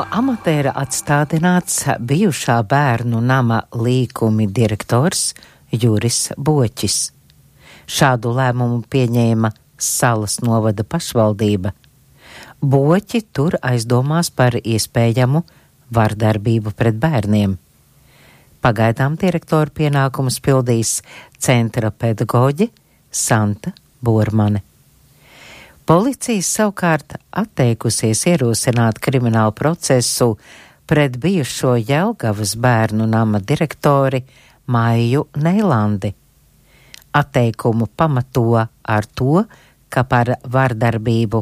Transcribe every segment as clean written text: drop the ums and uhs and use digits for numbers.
Amatēra atstādināts bijušā bērnu nama līkumi direktors Juris Boķis. Šādu lēmumu pieņēma Salas novada pašvaldība. Boķi tur aizdomās par iespējamu vardarbību pret bērniem. Pagaidām direktoru pienākumus pildīs centra pedagoģe Santa Bormane. Policija savukārt atteikusies ierosināt kriminālu procesu pret bijušo Jelgavas bērnu nama direktori Maiju Neilandi. Atteikumu pamato ar to, ka par vardarbību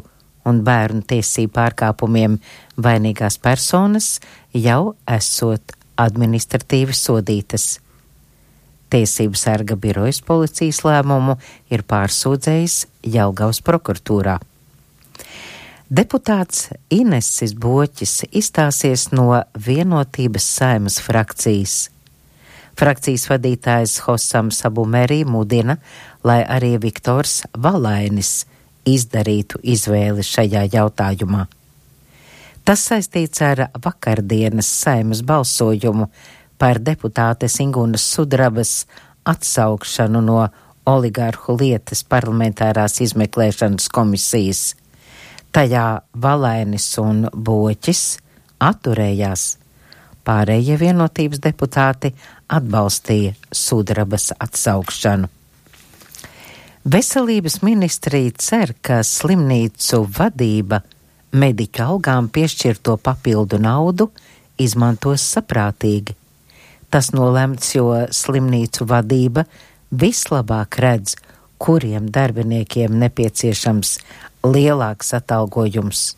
un bērnu tiesību pārkāpumiem vainīgās personas jau esot administratīvi sodītas. Tiesību sarga birojas policijas lēmumu ir pārsūdzējis Jelgavas prokuratūrā. Deputāts Inesis Boķis izstāsies no Vienotības Saeimas frakcijas. Frakcijas vadītājs Hosams Abumeri mudina, lai arī Viktors Valainis izdarītu izvēli šajā jautājumā. Tas saistīts ar vakardienas Saeimas balsojumu par deputātes Ingunas Sudrabas atsaukšanu no oligarhu lietas parlamentārās izmeklēšanas komisijas. Tajā Valainis un Boķis atturējās. Pārējie Vienotības deputāti atbalstīja Sudrabas atsaukšanu. Veselības ministrija cer, ka slimnīcu vadība mediķu algām piešķirto papildu naudu izmantos saprātīgi. Tas nolemts, jo slimnīcu vadība vislabāk redz, kuriem darbiniekiem nepieciešams lielāks atalgojums.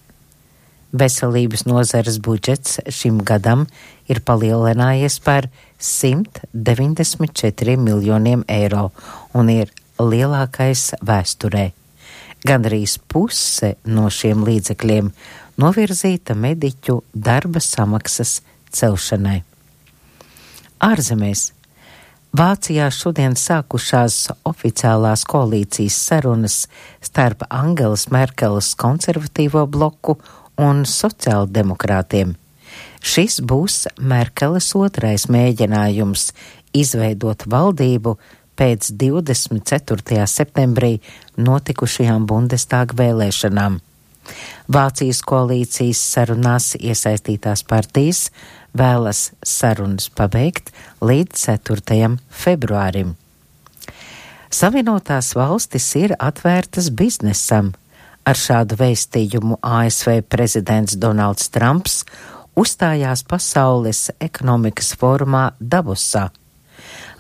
Veselības nozares budžets šim gadam ir palielinājies par 194 miljoniem eiro un ir lielākais vēsturē. Gandrīz puse no šiem līdzekļiem novirzīta mediķu darba samaksas celšanai. Ārzemēs. Vācijā šodien sākušās oficiālās koalīcijas sarunas starp Angelas Merkeles konservatīvo bloku un sociāldemokrātiem. Šis būs Merkeles otrais mēģinājums izveidot valdību pēc 24. septembrī notikušajām Bundestāga vēlēšanām. Vācijas koalīcijas sarunās iesaistītās partijas vēlas sarunas pabeigt līdz 4. februārim. Savienotās valstis ir atvērtas biznesam. Ar šādu vēstījumu ASV prezidents Donalds Trumps uzstājās Pasaules ekonomikas fórumā Davosā.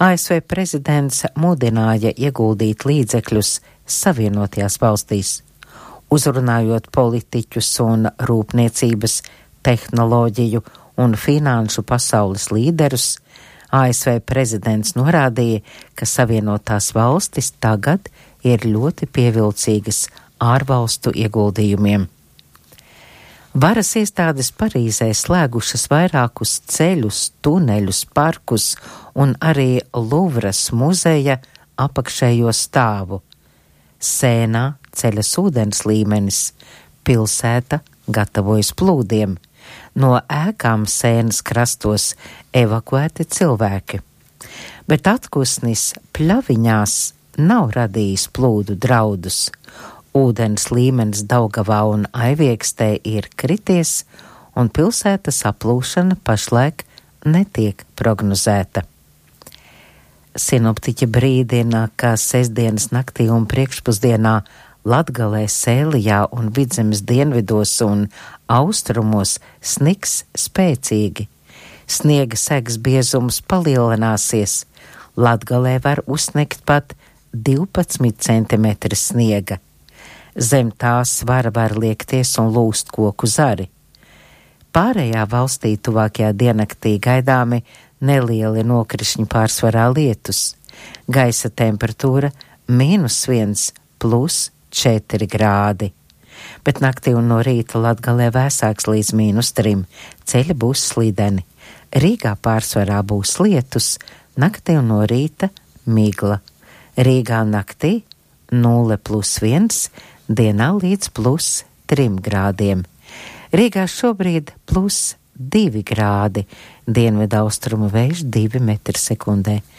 ASV prezidents mudināja ieguldīt līdzekļus Savienotajās valstīs. Uzrunājot politiķus un rūpniecības, tehnoloģiju un finanšu pasaules līderus, ASV prezidents norādīja, ka Savienotās valstis tagad ir ļoti pievilcīgas ārvalstu ieguldījumiem. Varas iestādes Parīzē slēgušas vairākus ceļus, tuneļus, parkus un arī Luvras muzeja apakšējo stāvu. Sēnā ceļas ūdens līmenis, pilsēta gatavojas plūdiem. No ēkām Sēnas krastos evakuēti cilvēki. Bet atkusnis Pļaviņās nav radījis plūdu draudus. Ūdens līmenis Daugavā un Aiviekstē ir krities, un pilsētas aplūšana pašlaik netiek prognozēta. Sinoptiķi brīdina, ka sestdienas naktī un priekšpusdienā Latgalē, Sēlijā un Vidzemes dienvidos un austrumos snigs spēcīgi. Sniega segas biezums palielināsies. Latgalē var uzsnigt pat 12 cm sniega. Zem tā svara var liekties un lūst koku zari. Pārējā valstī tuvākajā diennaktī gaidāmi nelieli nokrišņi, pārsvarā lietus. Gaisa temperatūra -1 plus 4 grādi. Bet naktī un no rīta Latgalē vēsāks līdz -3. Ceļi būs slideni. Rīgā pārsvarā būs lietus, naktī un no rīta migla. Rīgā naktī 0 plus 1, dienā līdz plus 3 grādiem. Rīgā šobrīd +2 grādi, dienvidu austrumu vējš 2 metri sekundē.